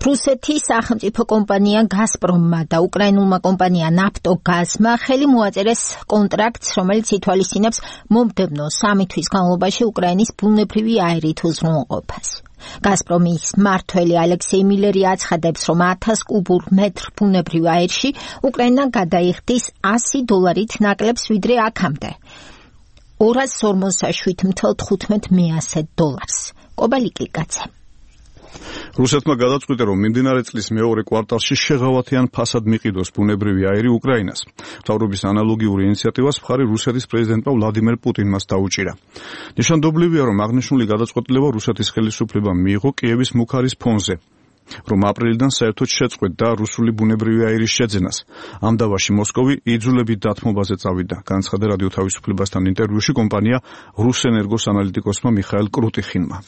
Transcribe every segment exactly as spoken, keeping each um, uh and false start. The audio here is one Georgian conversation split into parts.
რუსეთის სახელმწიფო კომპანია გაზპრომმა და უკრაინულმა კომპანია ნაფტოგაზმა ხელი მოაწერეს კონტრაქტს, რომელიც ითვალისწინებს მომდევნო სამი თვის განმავლობაში უკრაინის ბუნებრივი აირით უზრუნველყოფას. გაზპრომის მმართველი ალექსეი მილერი აცხადებს, რომ ათას კუბურ მეტრ ბუნებრივ აირში უკრაინა გადაიხდის ასი დოლარით ნაკლებს ვიდრე აქამდე. ორას ორმოცდაშვიდ ათას თხუთმეტ მეასე დოლარს. კობალიკიკაცე. რუსეთმა გადაწყვიტა, რომ მიმდინარე წლის მეორე კვარტალში შეღავათიან ფასად მიყიდოს ბუნებრივი აირი უკრაინას. მთავრობის ანალოგიური ინიციატივას მხარი რუსეთის პრეზიდენტმა ვლადიმერ პუტინმაც დაუჭირა. ნიშანდობლივია, რომ აღნიშნული გადაწყვეტილება რუსეთის ხელისუფლებამ მიიღო კიევის მუქარის ფონზე, რომ აპრილიდან საერთოდ შეწყვეტდა რუსული ბუნებრივი აირის შეძენას. ამ დავაში მოსკოვი იძულებით დათმობაზე წავიდა, განაცხადა რადიო თავისუფლებასთან ინტერვიუში კომპანია რუსენერგოს ანალიტიკოსმა მიხაილ კრუტიხინმა.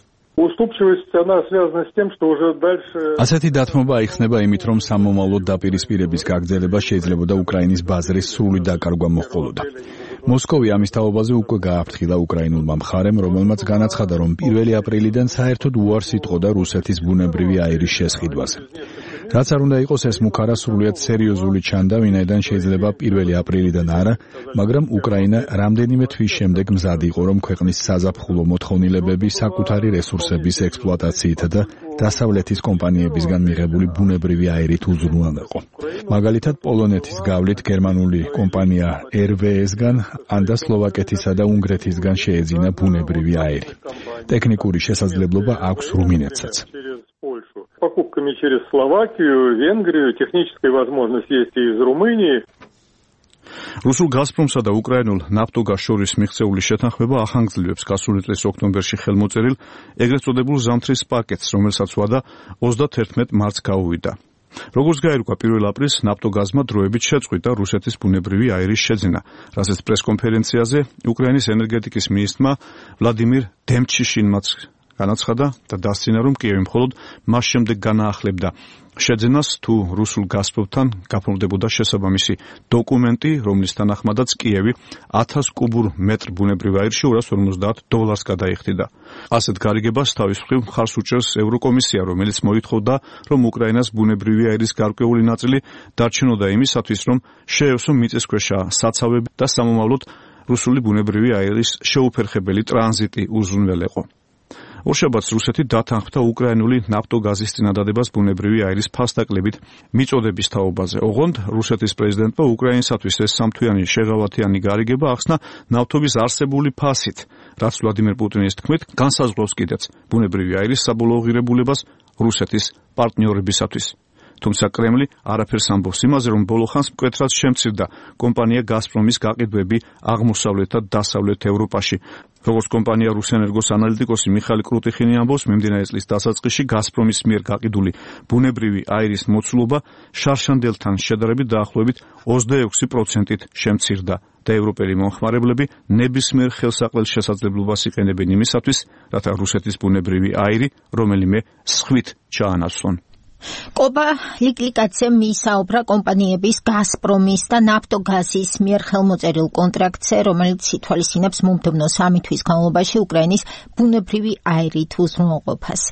ასეთი დათმობა აიხსნება იმით, რომ სამომავლოდ დაპირისპირების გაგრძელება შეიძლებოდა უკრაინის ბაზრის სრული დაკარგვა მოჰყოლოდა. მოსკოვი ამის თაობაზე უკვე გააფრთხილა უკრაინულმა მხარემ, რომელმაც განაცხადა, რომ პირველი აპრილიდან საერთოდ უარს იტყოდა რუსეთის ბუნებრივი აირის შესყიდვაზე. რაც არ უნდა იყოს, ეს მუქარა სრულიად სერიოზული ჩანდა, ვინაიდან შეიძლება პირველი აპრილიდან არა, მაგრამ უკრაინა რამდენიმე თვის შემდეგ მზად იყო, რომ ქვეყნის საზაფხულო მოთხოვნილებები საკუთარი რესურსების ექსპლუატაციით და დასავლეთის კომპანიებისგან მიღებული ბუნებრივი აირით უზრუნველყო. მაგალითად, პოლონეთის გავლით გერმანული კომპანია er ve es-გან, ან და სლოვაკეთისა და უნგრეთისგან შეეძინა ბუნებრივი აირი. ტექნიკური შესაძლებლობა აქვს რუმინეთსაც. Покупками через Словакию, Венгрию, техническая возможность есть и из Румынии. რუსულ გაზპრომსა და უკრაინულ ნაფტოგაზ შორის მიღწეული შეთანხმება ახანგრძლივებს გასული წლის ოქტომბერში ხელმოწერილ ეგრეთ წოდებულ ზამთრის პაკეტს, რომელსაც ვადა ოცდაათერთმეტ მარტს გაუვიდა. როგორც გაირკვა პირველ აპრილს, ნაფტოგაზმა დროებით შეწყვიტა რუსეთის ბუნებრივი აირის შეძენა, რასაც პრესკონფერენციაზე უკრაინის ენერგეტიკის მინისტრმა ვლადიმირ დემჩიშინმაც განაცხადა და დასცინა, რომ კიევი მხოლოდ მას შემდეგ განაახლებდა შეძენას, თუ რუსულ გაზპრომთან გაფორმდებოდა შესაბამისი დოკუმენტი, რომლის თანახმადაც კიევი ათას კუბურ მეტრ ბუნებრივ აირში ორას ორმოცდაათ დოლარს გადაიხდიდა. ასეთ გარიგებას თავის მხრივ მხარს უჭერს ევროკომისია, რომელიც მოითხოვდა, რომ უკრაინას ბუნებრივი აირის გარკვეული ნაწილი დარჩენოდა იმისათვის, რომ შეევსო მიწისქვეშა საცავები და სამომავლოდ რუსული ბუნებრივი აირის შეუფერხებელი ტრანზიტი უზრუნველეყო. ორშაბათს რუსეთი დათანხმდა უკრაინული ნაფტოგაზის წინადადებას ბუნებრივი აირის ფასდაკლებით მიწოდების თაობაზე. ოღონდ რუსეთის პრეზიდენტმა უკრაინისათვის ეს სამთვიანი შეღავათიანი გარიგება ახსნა ნავთობის არსებული ფასით, რაც ვლადიმერ პუტინის თქმით განსაზღვრავს კიდეც ბუნებრივი აირის საბოლოო ღირებულებას რუსეთის პარტნიორებისათვის. თუმცა კრემლი არაფერს ამბობს იმაზე, რომ ბოლო ხანს მკვეთრად შემცირდა კომპანია გაზპრომის გაყიდვები აღმოსავლეთ და დასავლეთ ევროპაში. როგორც კომპანია რუსენერგოს ანალიტიკოსი მიხაილ კრუტიხინი ამბობს, მიმდინარე წლის დასაწყისში გაზპრომის მიერ გაყიდული ბუნებრივი აირის მოცულობა შარშანდელთან შედარებით დაახლოებით ოცდაექვსი პროცენტით შემცირდა და ევროპელი მომხმარებლები ნებისმიერ ხელსაყრელ შესაძლებლობას იყენებენ იმისათვის, რათა რუსეთის ბუნებრივი აირი რომელიმე სხვით ჩაანაცვლონ. კობა ლიკლიკაცემ მისაუბრა კომპანიების გაზპრომის და ნაფტოგაზის მიერ ხელმოწერილ კონტრაქტზე, რომელიც ითვალისწინებს მომდევნო სამი თვის განმავლობაში უკრაინის ბუნებრივი აირით უზრუნველყოფას.